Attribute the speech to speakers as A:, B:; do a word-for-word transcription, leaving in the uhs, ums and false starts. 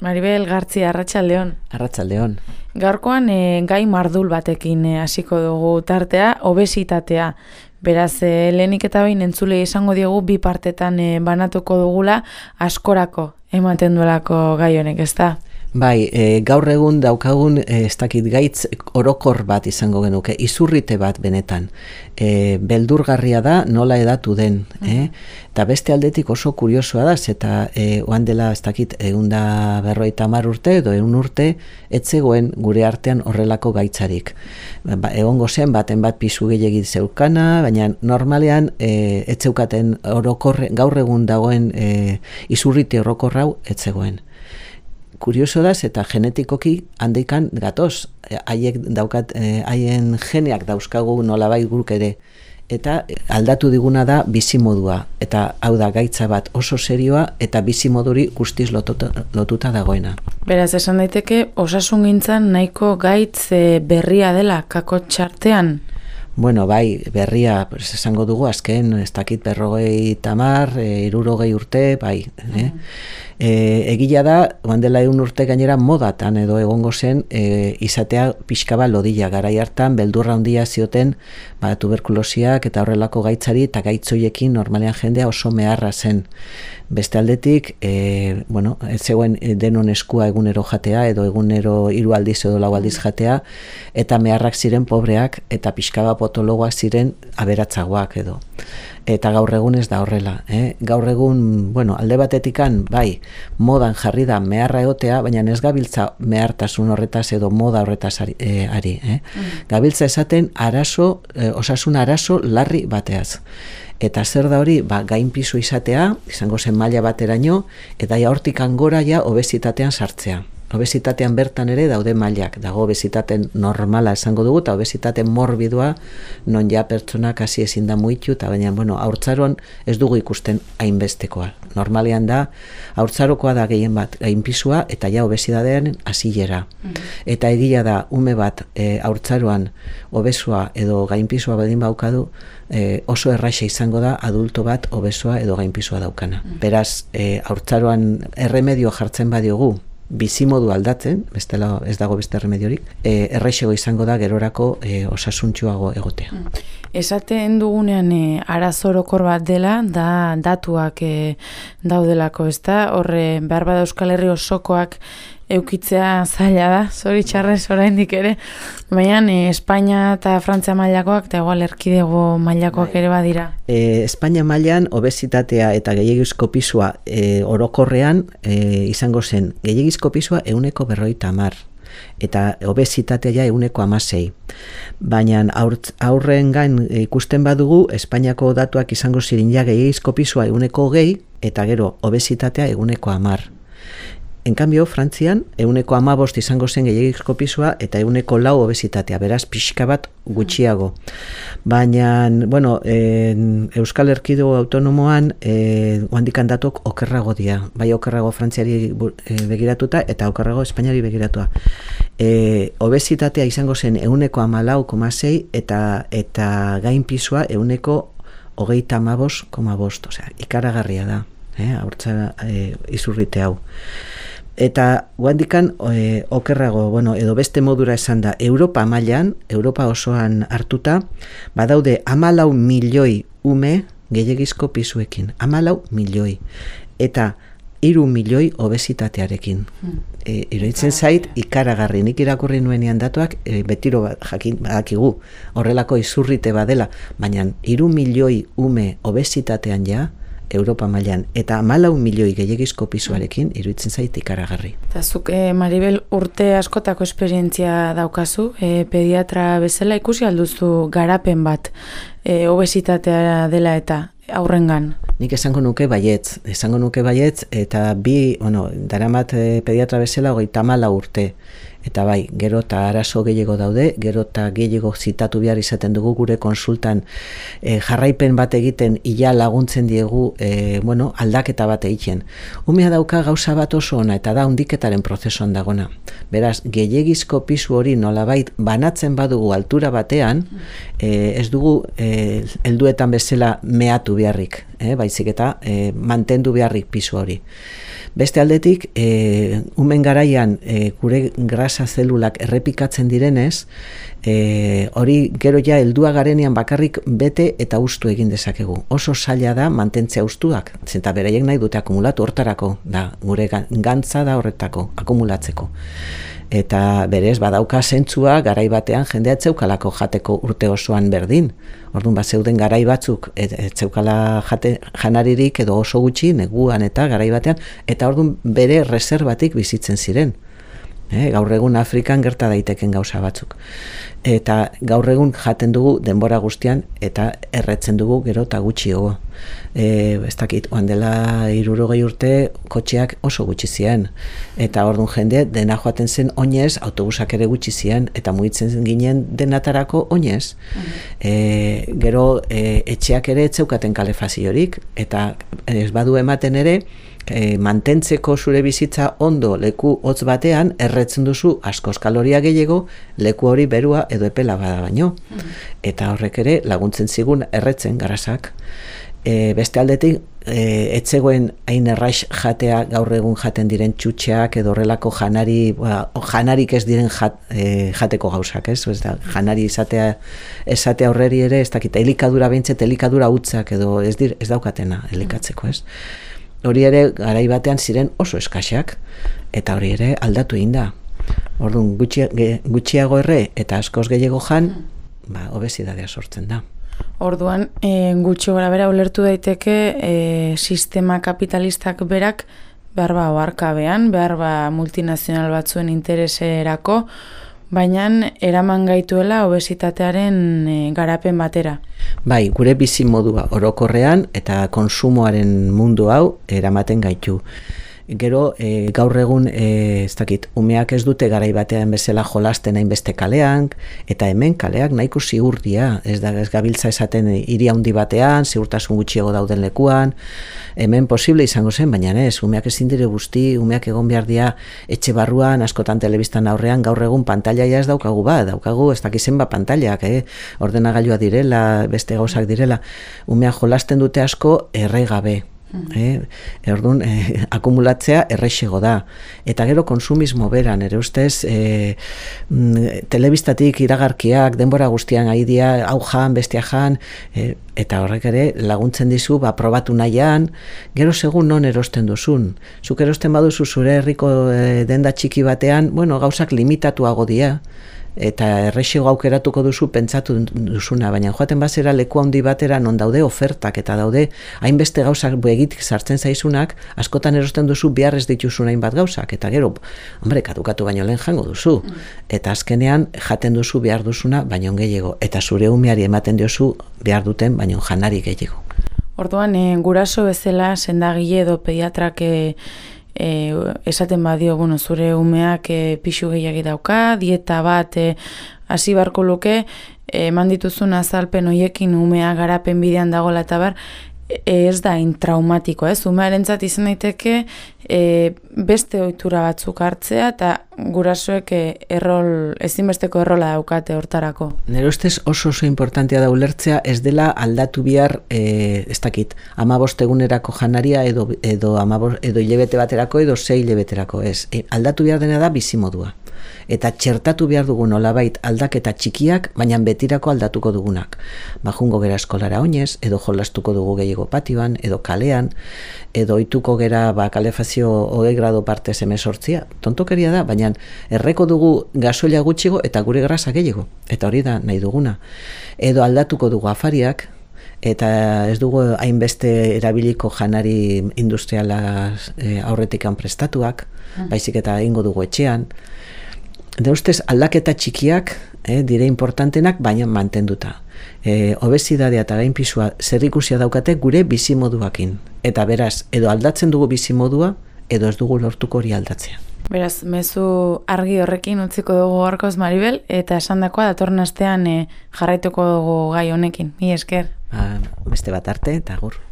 A: Maribel Gartzia, Arratsaldeon.
B: Arratsaldeon.
A: Gaurkoan e, gai mardul batekin e, hasiko dugu tartea, obesitatea. Beraz, e, lehenik eta behin entzule izango diogu bi partetan e, banatuko dugula askorako ematen duelako gai honek, ezta?
B: Bai, e, gaur egun daukagun e, ez dakit gaitz orokor bat izango genuke, izurrite bat benetan. E, beldurgarria da nola edatu den, mm. eh? Eta beste aldetik oso kuriosoa da, eta e, oan dela ez dakit eunda berroita hamar urte edo egun urte, etzegoen gure artean horrelako gaitzarik. Ba, egongo zen baten bat pisu gehiagit zeukana, baina normalean e, etzeukaten orokorre, gaur egun dagoen e, izurrite orokorra hau etzegoen. Kurioso da, eta genetikoki handikan gatoz, haiek daukat, haien geneak dauzkagu nolabait guk ere, eta aldatu diguna da bizimodua, eta hau da gaitza bat oso serioa, eta bizimoduri guztiz lotuta, lotuta dagoena.
A: Beraz, esan daiteke, osasungintzan nahiko gaitz berria dela kakotxartean?
B: Bueno, bai, berria, pues, esango dugu, azken, ez dakit berrogei tamar, e, irurogei urte, bai. Eh? E, egila da, oan dela egun urte gainera modatan edo egongo zen, e, izatea pixkaba lodila, garai hartan, beldurra handia zioten, ba, tuberkulosiak eta horrelako gaitzari, eta gaitzoiekin normalean jendea oso meharra zen. Beste aldetik, e, bueno, ez zegoen denon eskua egunero jatea, edo egunero hiru aldiz edo lau aldiz jatea, eta meharrak ziren pobreak, eta pixkaba potologoak ziren aberatzagoak edo. Eta gaur egun ez da horrela. Eh? Gaur egun, bueno, alde batetikan, bai, modan jarri da meharra egotea, baina ez gabiltza mehartasun horretaz edo moda horretaz ari. Eh, ari eh? Mm. Gabiltza esaten arazo, eh, osasun arazo larri bateaz. Eta zer da hori, ba, gainpisu izatea, izango zen maila bateraino, eta ja hortik angora ja obesitatean sartzea. Obesitatean bertan ere daude mailak, dago obesitaten normala esango dugu, eta obesitate morbidua non ja pertsonak hasi ezin da muitu, eta baina, bueno, haurtzaroan ez dugu ikusten hainbestekoa. Normalean da, haurtzarokoa da gehien bat gainpisua, eta ja obesidadean hasilera. Mm-hmm. Eta egia da, ume bat e, haurtzaroan obesua edo gainpisua badin baukadu, e, oso erraixa izango da adulto bat obesua edo gainpisua daukana. Mm-hmm. Beraz, e, haurtzaroan erremedio jartzen badiogu, bizimodu aldatzen, bestela ez dago beste remediorik, e, erraixego izango da gerorako e, osasuntxuago egotea.
A: Esaten dugunean e, arazorokor bat dela, da datuak e, daudelako, ezta? Horre, behar bada Euskal Herri osokoak eukitzea zaila da, zoritxarrez oraindik ere, baina e, Espainia eta Frantzia mailakoak, eta igual erkidego mailakoak ere badira.
B: E, Espainia mailan obesitatea eta gehiagizko pisua e, orokorrean e, izango zen, gehiagizko pisua euneko berroita hamar, eta obesitatea ja euneko hamasei. Baina aurren gain ikusten badugu, Espainiako datuak izango zirin ja gehiagizko pisua euneko hogei, eta gero obesitatea euneko hamar. En cambio, Frantzian, euneko hamabost izango zen gehiagizko pisua eta euneko lau obesitatea, beraz pixka bat gutxiago. Baina, bueno, en, Euskal Erkidego autonomoan e, handikan datok okerrago dira. Bai okerrago Frantziari e, begiratuta eta okerrago Espainiari begiratua. E, obesitatea izango zen euneko hamalau koma sei eta, eta gain pisua euneko hogeita hamabost koma bost. Osea, ikaragarria da, eh, haurtza e, izurrite hau. Eta guandikan e, okerrago, bueno, edo beste modura esan da, Europa mailan, Europa osoan hartuta, badaude hamalau milioi ume gehiagizko pisuekin. hamalau milioi. Eta hiru milioi obesitatearekin. Hmm. E, iruditzen zait, ikaragarri, nik irakurri nuenean datuak, e, betiro jakin badakigu, horrelako izurrite badela, baina hiru milioi ume obesitatean ja, Europa mailan, eta hamalau milioi gehiagizko pisuarekin iruditzen zait ikaragarri.
A: Eta zuk, e, Maribel, urte askotako esperientzia daukazu, e, pediatra bezala ikusi alduzu garapen bat e, obesitatea dela eta aurrengan?
B: Nik esango nuke baietz, esango nuke baietz, eta bi, bueno, daramat e, pediatra bezala hogeita hamalau urte. Eta bai, gero eta arazo gehiago daude, gero eta gehiago zitatu behar izaten dugu gure konsultan e, jarraipen bat egiten ia laguntzen diegu e, bueno, aldaketa bat egiten. Umea dauka gauza bat oso ona eta da hundiketaren prozesuan dagona. Beraz, gehiagizko pisu hori nolabait banatzen badugu altura batean, e, ez dugu e, helduetan bezala meatu beharrik, e, baizik eta e, mantendu beharrik pisu hori. Beste aldetik, e, umen garaian e, gure grasa zelulak errepikatzen direnez, e, hori gero ja heldua garenean bakarrik bete eta ustu egin dezakegu. Oso zaila da mantentzea ustuak, zenta beraiek nahi dute akumulatu hortarako, da, gure gantza da horretako, akumulatzeko. Eta berez badauka zentzua garai batean jendea etzeukalako jateko urte osoan berdin. Orduan bat zeuden garai batzuk etzeukala jate, janaririk edo oso gutxi neguan eta garai batean, eta orduan bere reserbatik bizitzen ziren. E, gaur egun Afrikan gerta daiteken gauza batzuk. Eta gaur egun jaten dugu denbora guztian eta erretzen dugu gero eta gutxiago. E, ez dakit, oan dela hirurogei urte kotxeak oso gutxi ziren. Eta orduan jende dena joaten zen oinez, autobusak ere gutxi ziren, eta mugitzen ginen denatarako oinez. E, gero e, etxeak ere etzeukaten kalefaziorik, eta ez badu ematen ere, E, mantentzeko zure bizitza ondo leku hotz batean erretzen duzu askoz kaloria gehiago leku hori berua edo epela bada baino. Eta horrek ere laguntzen zigun erretzen garasak. E, beste aldetik, e, etzegoen hain erraix jatea gaur egun jaten diren txutxeak edo horrelako janari, ba, janarik ez diren jat, e, jateko gauzak, ez? Ez da, janari izatea, esatea horreri ere, ez dakit, elikadura behintzet, elikadura hutzak edo ez, dir, ez daukatena elikatzeko, ez? Hori ere garai batean ziren oso eskaxak, eta hori ere aldatu egin da. Orduan gutxi, gutxiago erre eta askoz gehiago jan, ba, obesidadea sortzen da.
A: Orduan, e, gutxi gora bera ulertu daiteke e, sistema kapitalistak berak behar ba oarkabean, behar ba multinazional batzuen intereserako, baina eraman gaituela obesitatearen e, garapen batera.
B: Bai, gure bizi modua orokorrean eta konsumoaren mundu hau eramaten gaitu. Gero, e, gaur egun, e, ez dakit, umeak ez dute garai batean bezala jolasten hainbeste kalean, eta hemen kaleak nahiko ziurdia, ez da ez gabiltza esaten hiri handi batean, ziurtasun gutxiago dauden lekuan, hemen posible izango zen, baina ez, umeak ezin dire guzti, umeak egon behar dira etxe barruan, askotan telebistan aurrean, gaur egun pantaila ez daukagu ba, daukagu ez dakizen ba pantailak, eh? Ordenagailua direla, beste gauzak direla, umeak jolasten dute asko erre gabe. Eh, Orduan, eh, akumulatzea errexego da. Eta gero konsumismo beran, ere ustez, eh, mm, telebistatik iragarkiak, denbora guztian aidia, hau jan, bestia jan, eh, eta horrek ere laguntzen dizu, ba, probatu nahian, gero segun non erosten duzun. Zuk erosten baduzu zure herriko eh, denda txiki batean, bueno, gauzak limitatuago dira, eta errexego aukeratuko duzu pentsatu duzuna, baina joaten bazera leku handi batera non daude ofertak eta daude hainbeste gauzak begitik sartzen zaizunak, askotan erosten duzu behar ez dituzun hainbat gauzak, eta gero, hombre, kadukatu baino lehen jango duzu, eta azkenean jaten duzu behar duzuna baino gehiago, eta zure umeari ematen diozu behar duten baino janari gehiago.
A: Orduan, e, guraso bezala sendagile edo pediatrak e, E, esaten badio, bueno, zure umeak e, pixu gehiagi dauka, dieta bat e, hasi barko luke, eman e, dituzun azalpen hoiekin umea garapen bidean dagoela eta bar, e, ez da intraumatiko, ez? Umearentzat izan daiteke e, beste ohitura batzuk hartzea eta gurasoek e, errol, ezinbesteko errola daukate hortarako.
B: Nire ustez oso oso importantea da ulertzea ez dela aldatu bihar, e, ez dakit, hamabost egunerako janaria edo, edo, amabost, edo hilebete baterako edo sei hilebeterako, ez. E, aldatu behar dena da bizimodua. Eta txertatu behar dugu nolabait aldaketa txikiak, baina betirako aldatuko dugunak. Ba, jungo gera eskolara oinez, edo jolastuko dugu gehiago patioan, edo kalean, edo ohituko gera ba, kalefazio hogei grado parte semezortzia. Tontokeria da, baina erreko dugu gasoila gutxigo eta gure grasa gehiago. Eta hori da nahi duguna. Edo aldatuko dugu afariak, eta ez dugu hainbeste erabiliko janari industriala e, aurretikan prestatuak, baizik eta egingo dugu etxean. De ustez aldaketa txikiak eh, dire importantenak, baina mantenduta. E, obesidadea eta gainpisua zerikusia daukate gure bizimoduakin. Eta beraz, edo aldatzen dugu bizimodua, edo ez dugu lortuko hori aldatzea.
A: Beraz, mezu argi horrekin utziko dugu gaurkoz Maribel, eta esandakoa datorren astean e, jarraituko dugu gai honekin. Mi esker.
B: Ba, beste bat arte, eta agur.